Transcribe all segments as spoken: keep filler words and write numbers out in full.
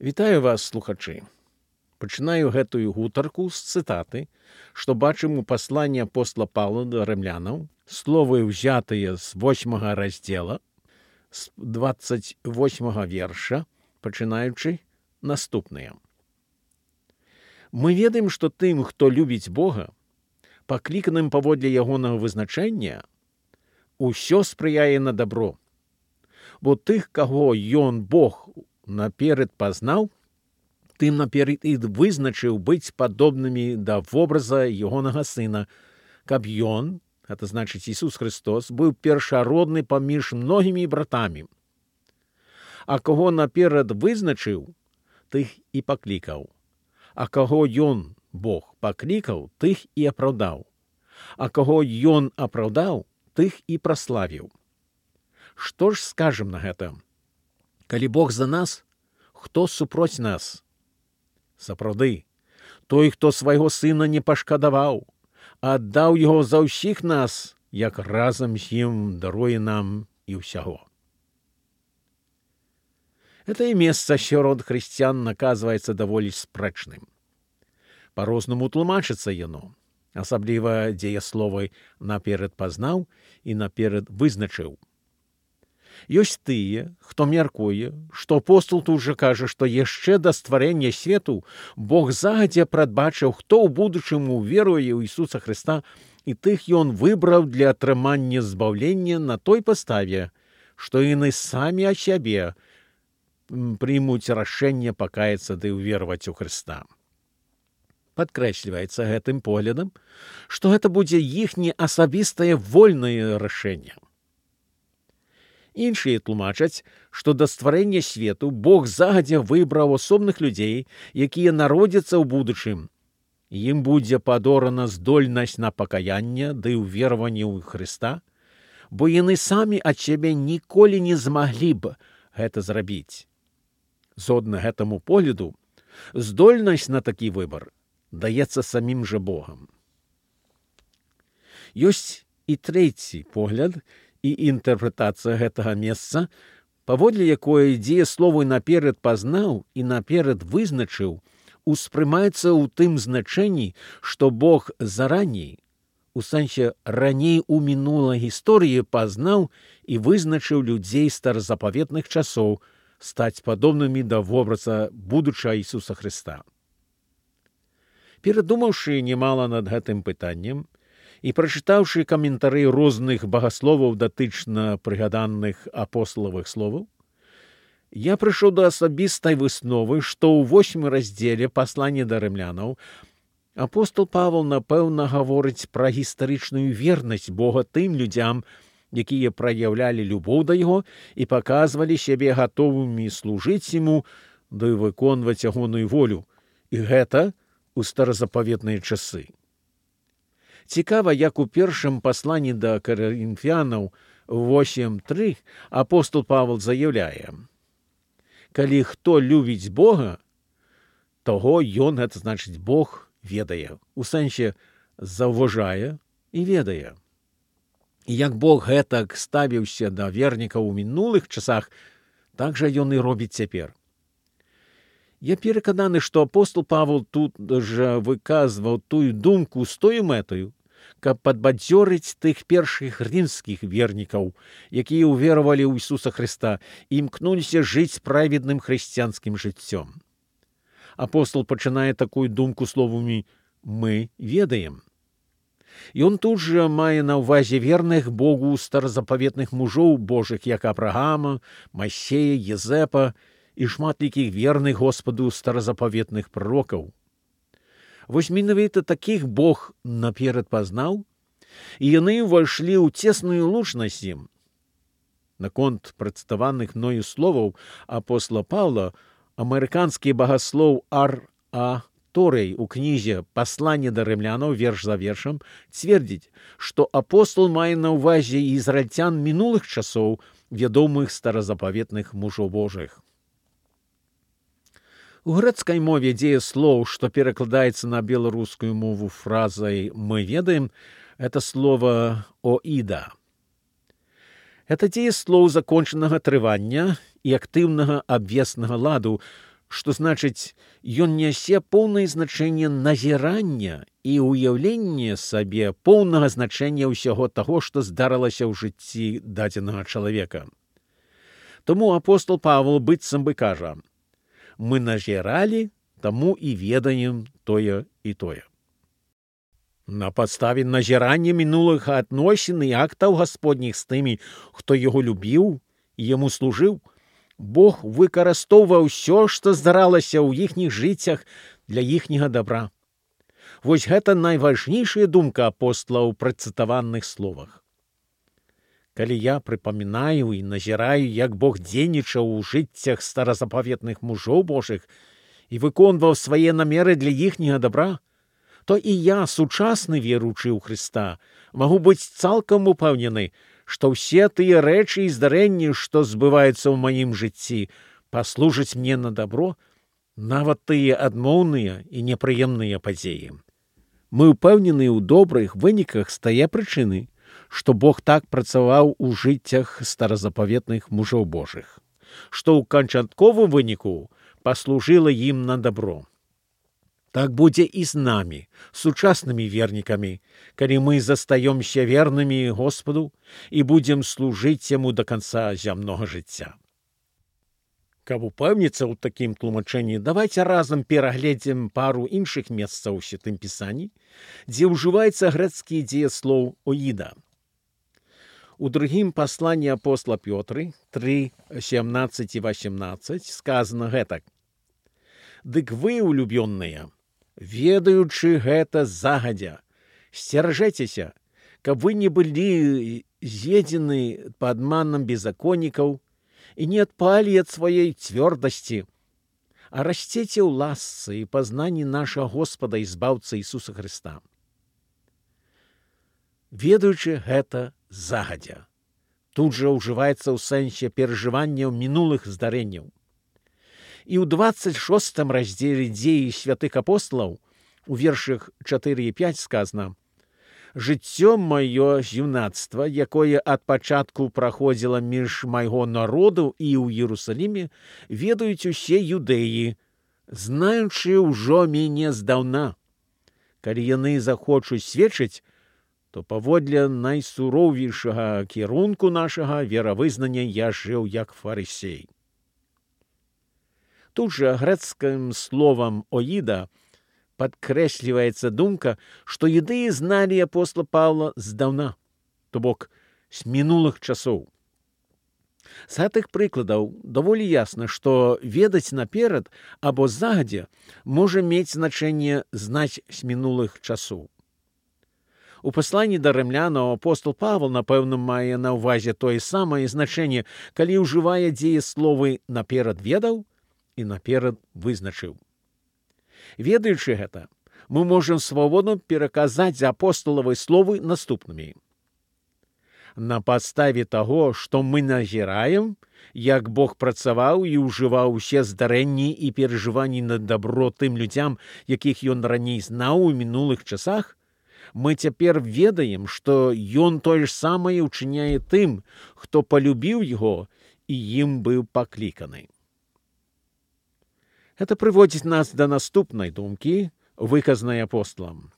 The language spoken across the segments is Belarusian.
Вітаю вас, слухачы. Пачынаю гэтую гутарку з цытаты, што бачым у пасланні апостола Паўла да рымлянаў, словы ўзятыя з восьмага раздзела, з дваццаць восьмага верша, пачынаючы наступныя. Мы ведаем, што тым, хто любіць Бога, пакліканым паводле ягонага вызначэння, усё спрыяе на дабро. Бо тых, каго ён, Бог, наперад пазнаў, тым наперад і вызначыў быць падобнымі да вобраза ягонага сына, каб ён, гэта значыць Ісус Христос, быў першародны паміж многімі братамі. А каго наперад вызначыў, тых і паклікаў. А каго ён, Бог, паклікаў, тых і апраўдаў. А каго ён апраўдаў, тых і праславіў. Што ж скажам на гэта? Калі Бог за нас, хто супроць нас? Сапраўды, той, хто свайго сына не пашкадаваў, а аддаў яго за ўсіх нас, як разам з ім даруе нам і ўсяго. Гэтае месца сярод хрысціян наказваецца даволі спрэчным. Па-рознаму тлумачыцца яно, асабліва дзеясловы «наперад пазнаў» і «наперад вызначыў». Ёсць тыя, хто мяркуе, што апостол тут жа кажа, што яшчэ да стварэння свету Бог загадзя прадбачыў, хто ў будучым уверуе ў Ісуса Хрыста, і тых ён выбраў для атрымання збаўлення на той паставе, што яны самі ад сябе прымуць рашэнне пакаяцца ды ўвераваць у Хрыста. Падкрэсліваецца гэтым поглядам, што гэта будзе іхняе асабістае вольнае рашэнне. Іншыя тлумачаць, што да стварэння свету Бог загадзя выбраў асобных людзей, якія народзяцца ў будучым. Ім будзе падорана здольнасць на пакаянне ды ўвераванне ў Хрыста, бо яны самі ад сябе ніколі не змаглі б гэта зрабіць. Згодна гэтаму погляду, здольнасць на такі выбар даецца самім жа Богам. Ёсць і трэці погляд і інтэрпрэтацыя гэтага месца, паводле якое дзеясловы «наперад пазнаў» і «наперад вызначыў» успрымаецца ў тым значэнні, што Бог зараней, у сэнсе раней у мінулай гісторыі пазнаў і вызначыў людзей старазапаветных часоў стаць падобнымі да вобраза будучага Ісуса Хрыста. Перадумаўшы немала над гэтым пытаннем, і прачытаўшы каментары розных багасловаў датычна прыгаданых апосталавых словаў, я прыйшоў да асабістай высновы, што ў восьмым раздзеле паслання да рымлянаў апостол Павел, напэўна, гаворыць пра гістарычную вернасць Бога тым людзям, якія праяўлялі любоў да яго і паказвалі сябе гатовымі служыць яму ды выконваць ягоную волю, і гэта ў старазапаветныя часы. Цікава, як у першым пасланні да карынфянаў восем тры апостол Павел заяўляе: «Калі хто любіць Бога, таго ён, гэта значыць Бог, ведае, у сэнсе заўважае і ведае». І як Бог гэтак ставіўся да вернікаў у мінулых часах, так жа ён і робіць цяпер. Я перакананы, што апостол Павел тут жа выказваў тую думку з тою мэтаю, каб падбадзёрыць тых першых рымскіх вернікаў, якія ўверавалі ў Ісуса Хрыста і імкнуліся жыць праведным хрысціянскім жыццём. Апостол пачынае такую думку словамі «мы ведаем». Ён тут жа мае на ўвазе верных Богу старазапаветных мужоў Божых, як Авраама, Масея, Езэпа і шматлікіх верных Господу старазапаветных пророкаў. Вось менавіта такіх Бог наперад пазнаў, і яны ўвайшлі ў цесную лучнасць ім. Наконт прадставаных мною словаў апостола Паўла, амерыканскі багаслоў Ар А Торэй у кнізе «Пасланне да рымлянаў» верш за вершам цвердзіць, што апостол мае на ўвазе ізраільцян мінулых часоў, вядомых старазапаветных мужоў Божых. У грэцкай мове дзеяслоў, што перакладаецца на беларускую мову фразай «мы ведаем», это слово «оіда». Это дзеяслоў закончанага трывання і актыўнага абвеснага ладу, што значыць, ён нясе поўнае значэнне назірання і ўяўлення сабе поўнага значэння ўсяго таго, што здарылася ў жыцці дадзенага чалавека. Таму апостол Павел быццам бы кажа: мы назіралі, таму і ведаем тое і тое. На падставе назірання мінулых адносін і актаў гасподніх з тымі, хто яго любіў і яму служыў, Бог выкарыстоўваў усё, што здаралася ў іхніх жыццях для іхняга добра. Вось гэта найважнейшая думка апостола ў працытаваных словах. Калі я прыпамінаю і назіраю, як Бог дзейнічаў у жыццях старазапаветных мужоў Божых і выконваў свае намеры для іхняга добра, то і я, сучасны веруючы ў Хрыста, магу быць цалкам упэўнены, што ўсе тыя рэчы і здарэнні, што збываюцца ў маім жыцці, паслужаць мне на добро, нават тыя адмоўныя і непрыемныя падзеі. Мы ўпэўнены ў добрых выніках з тае прычыны, што Бог так працаваў у жыццях старазапаветных мужоў Божых, што ў канчатковым выніку паслужыла ім на добро. Так будзе і з намі, сучаснымі вернікамі, калі мы застаёмся вернымі Господу і будзем служыць яму да канца зямнога жыцця. Каб упэўніцца ў такім тлумачэнні, давайце разам перагледзім пару іншых месцаў у Святым Пісанні, дзе ўжываецца грэцкі дзеяслоў «оіда». У другім пасланні апостола Пётры тры сямнаццаць і васемнаццаць сказана гэтак: «Дык вы, улюбённыя, ведаючы гэта загадзя, сцеражэцеся, каб вы не былі з'едзены падманам беззаконнікаў і не адпалі ад сваёй цвёрдасці, а расцеце ў ласцы і пазнанні нашага Господа і збаўцы Ісуса Хрыста». Ведаючы гэта загадзя. Тут жа ўжываецца ў сэнсе перажыванняў мінулых здарэнняў. І ў дваццаць шостым раздзеле дзеі святых апосталаў у вершах чатыры і пяць сказана: «Жыццё маё з юнацтва, якое ад пачатку праходзіла між майго народу і ў Іерусаліме, ведаюць усе юдэі, знаючы ўжо мяне здаўна. Калі яны захочуць сведчыць, то паводле найсуроўейшага кірунку нашага веравызнання я жыў як фарысей». Тут жа грэцкім словам «оіда» падкрэсліваецца думка, што юдэі зналі апостола Паўла здаўна, то бок з мінулых часоў. З гэтых прыкладаў даволі ясна, што ведаць наперад або загадзя можа мець значэнне знаць з мінулых часоў. У пасланні да рымлянаў апостол Павел, напэўна, мае на ўвазе тое самае значэнне, калі ўжывае дзеясловы «наперад ведаў» і наперад вызначыў. Ведаючы гэта, мы можам свабодна пераказаць апосталавы словы наступнымі. На падставе таго, што мы назіраем, як Бог працаваў і ўжываў усе здарэнні і перажыванні на дабро тым людзям, якіх ён раней знаў у мінулых часах, мы цяпер ведаем, што ён тое ж самае ўчыняе тым, хто палюбіў яго і ім быў пакліканы. Гэта прыводзіць нас да наступнай думкі, выказанай апосталам.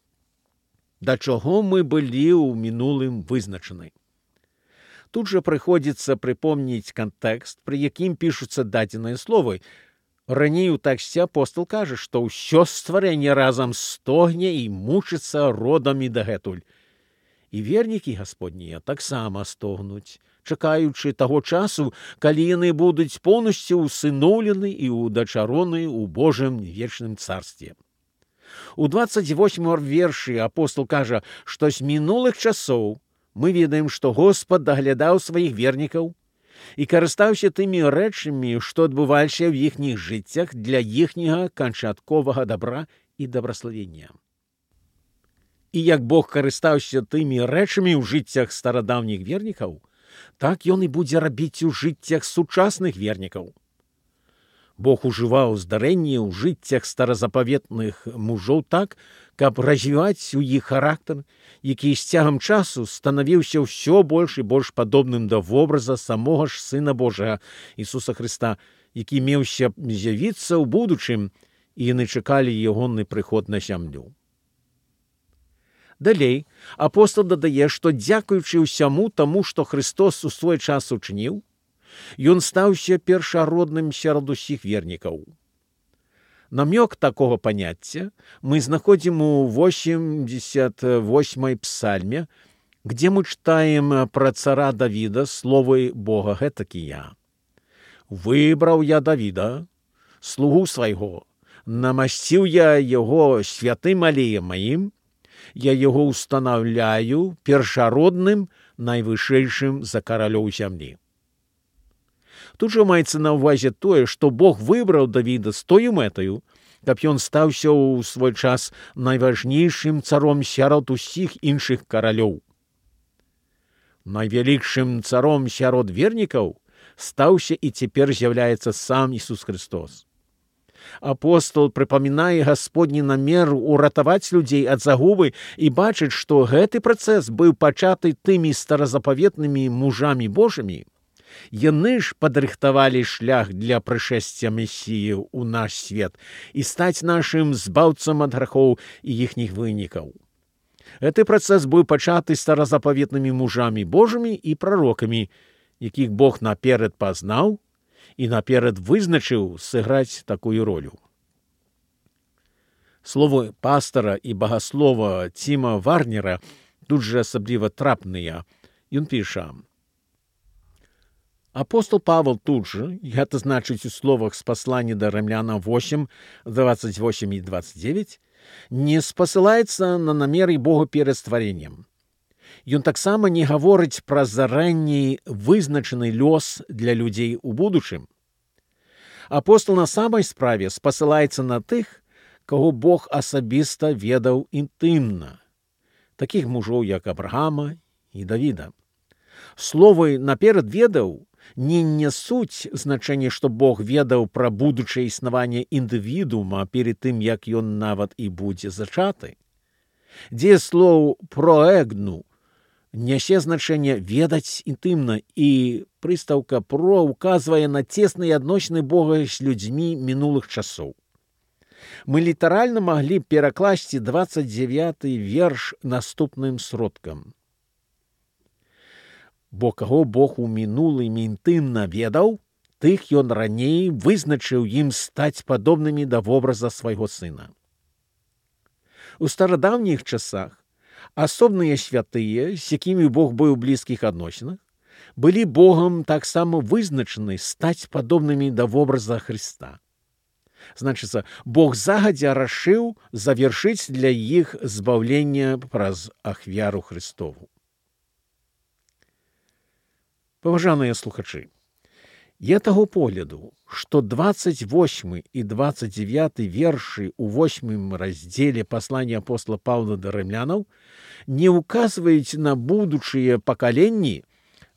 Да чаго мы былі ў мінулым вызначаны? Тут жа прыходзіцца прыпомніць кантэкст, пры якім пішуцца дадзеныя словы. Раней у тэксце апостал кажа, што ўсё стварэнне разам стогне і мучыцца родамі дагэтуль. І вернікі гасподнія таксама стогнуць, чакаючы таго часу, калі яны будуць поўнасцю ўсыноўлены і ўдачароны ў Божым вечным царстве. У дваццаць восьмым вершы апостал кажа, што з мінулых часоў мы ведаем, што Господ даглядаў сваіх вернікаў і карыстаўся тымі рэчамі, што адбываліся ў іхніх жыццях для іхняга канчатковага дабра і дабраславення. І як Бог карыстаўся тымі рэчамі ў жыццях старадаўніх вернікаў, так ён і будзе рабіць у жыццях сучасных вернікаў. Бог ужываў здарэнні ў жыццях старазапаветных мужоў так, каб развіваць у іх характар, які з цягам часу станавіўся ўсё больш і больш падобным да вобраза самога ж Сына Божага Ісуса Хрыста, які меўся з'явіцца ў будучым, і яны чакалі ягоны прыход на зямлю. Далей апостол дадае, што дзякуючы ўсяму таму, што Христос у свой час учыніў, ён стаўся першародным сярод усіх вернікаў. Намёк такога паняцця мы знаходзім у восемьдесят восьмой псальме, где мы читаем про цара Давида словы Бога гэтакія. «Выбраў я Давіда, слугу свайго, намасціў я яго святым алеем маім, я яго устанаўляю першародным, найвышэйшым за каралёў зямлі». Тут жа маецца на ўвазе тое, што Бог выбраў Давіда з тою мэтаю, каб ён стаўся ў свой час найважнейшым царом сярод усіх іншых каралёў. Найвялікшым царом сярод вернікаў стаўся і цяпер з'яўляецца сам Ісус Христос. Апостол прыпамінае гасподні намер уратаваць людзей ад загубы і бачыць, што гэты працэс быў пачаты тымі старазапаветнымі мужамі Божымі. Яны ж падрыхтавалі шлях для прышэсця Месіі ў наш свет і стаць нашым збаўцам ад грахоў і іхніх вынікаў. Гэты працэс быў пачаты старазапаветнымі мужамі Божымі і прарокамі, якіх Бог наперад пазнаў і наперад вызначыў сыграць такую ролю. Словы пастара і багаслова Тіма Варнера тут жа асабліва трапныя. Ён піша: апостол Павел тут же, гэта значыць у словах з паслання да Рымлянам восемь, двадцать восемь и двадцать девять, не спасылаецца на намеры Бога перад стварэннем. Ён таксама не гаворыць пра заранні вызначаны лёс для людзей у будучым. Апостол на самай справе спасылаецца на тых, каго Бог асабіста ведаў інтымна, такіх мужоў, як Абрагама і Давіда. Словы «наперад ведаў» не нясуць значэнне, што Бог ведаў пра будучае існаванне індывідуума перед тым, як ён нават і будзе зачаты. Дзеяслоў «проэгну» нясе значэнне «ведаць інтымна», і прыстаўка «про» указвае на цесныя адносіны Бога з людзьмі мінулых часоў. Мы літаральна маглі перакласці двадцать девяты верш наступным сродкам. Бо каго Бог у мінулым інтымна ведаў, тых ён раней вызначыў ім стаць падобнымі да вобраза свайго сына. У старадаўніх часах асобныя святыя, з якімі Бог быў у блізкіх адносінах, былі Богам таксама вызначаны стаць падобнымі да вобраза Хрыста. Значыцца, Бог загадзя рашыў завершыць для іх збаўленне праз ахвяру Христову. Паважаныя слухачы, я таго погляду, што двадцать восьмы і двадцать девяты вершы ў восьмым раздзеле паслання апостола Паўла да рымлянаў не ўказваюць на будучыя пакаленні,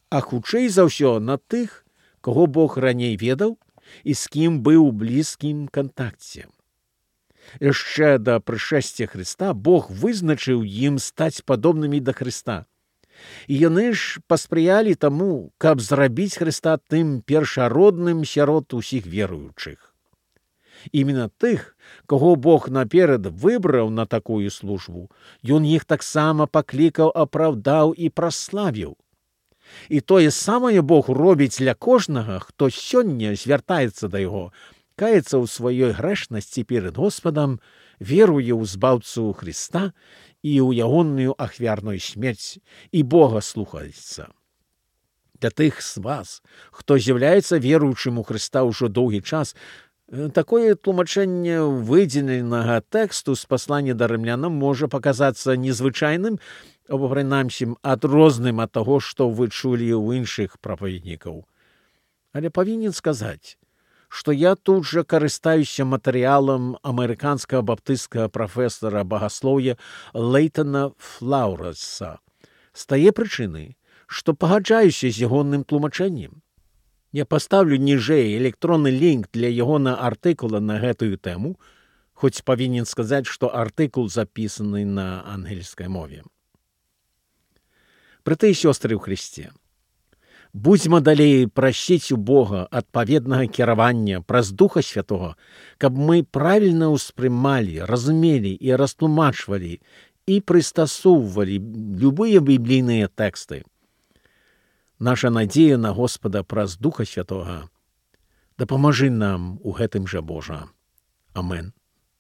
а хутчэй за ўсё на тых, каго Бог раней ведаў і з кім быў у блізкім кантакце. Яшчэ да прышэсця Хрыста Бог вызначыў ім стаць падобнымі да Хрыста. І яны ж паспрыялі таму, каб зрабіць Хрыста тым першародным сярод усіх веруючых. Іменно тых, каго Бог наперад выбраў на такую службу, ён іх таксама паклікаў, апраўдаў і праславіў. І тое самае Бог робіць для кожнага, хто сёння звяртаецца да яго, каецца ў сваёй грэшнасці перад Господам, веруе ў збаўцу Хрыста і ў ягоную ахвярную смерць, і Бога слухаецца. Для тых з вас, хто з'яўляецца веруючым у Хрыста ўжо доўгі час, такое тлумачэнне выдзеленага тэксту з паслання да рымлянам можа паказацца незвычайным, або прынамсі адрозным ад таго, што вы чулі ў іншых прапаведнікаў. Але павінен сказаць, што я тут жа карыстаюся матэрыялам амерыканскага баптысцкага прафесара багаслоўя Лейтона Флаўраса з тае прычыны, што пагаджаюся з ягоным тлумачэннем. Я паставлю ніжэй электронны лінк для ягона артыкула на гэтую тэму, хоць павінен сказаць, што артыкул запісаны на ангельскай мове. Браты і сёстры ў Хрысце, Будзьма далей прасіць у Бога адпаведнага кіравання праз Духа Святого, каб мы правільна ўспрымалі, разумелі і растлумачвалі і прыстасоўвалі любыя біблійныя тэксты. Наша надзея на Господа праз Духа Святога дапамажы нам у гэтым жа, Божа. Амен.